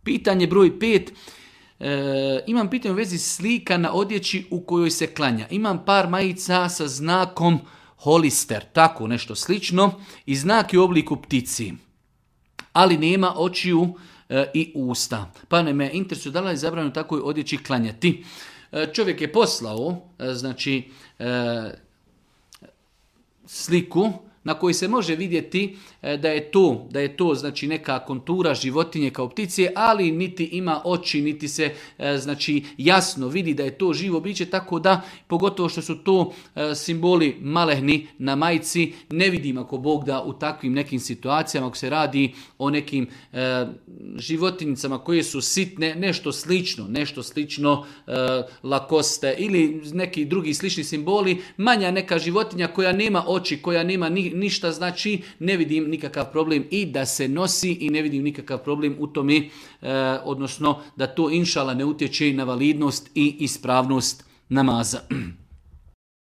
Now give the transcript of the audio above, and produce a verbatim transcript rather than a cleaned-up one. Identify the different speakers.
Speaker 1: Pitanje broj pet. E, imam pitanje u vezi slika na odjeći u kojoj se klanja. Imam par majica sa znakom holister, tako nešto slično, i znak je u obliku ptici, ali nema očiju e, i usta. Pa ne me interesuje da li je zabranjeno takoj odjeći klanjati. E, čovjek je poslao e, znači e, sliku na kojoj se može vidjeti da je to, da je to znači neka kontura životinje kao ptice, ali niti ima oči, niti se znači jasno vidi da je to živo biće, tako da pogotovo što su to simboli malehni na majici, ne vidim ako Bog da u takvim nekim situacijama, ako se radi o nekim e, životinjicama koje su sitne, nešto slično, nešto slično e, lakoste ili neki drugi slični simboli, manja neka životinja koja nema oči, koja nema ni ništa, znači ne vidim nikakav problem i da se nosi i ne vidim nikakav problem u tome, e, odnosno da to inšala ne utječe na validnost i ispravnost namaza.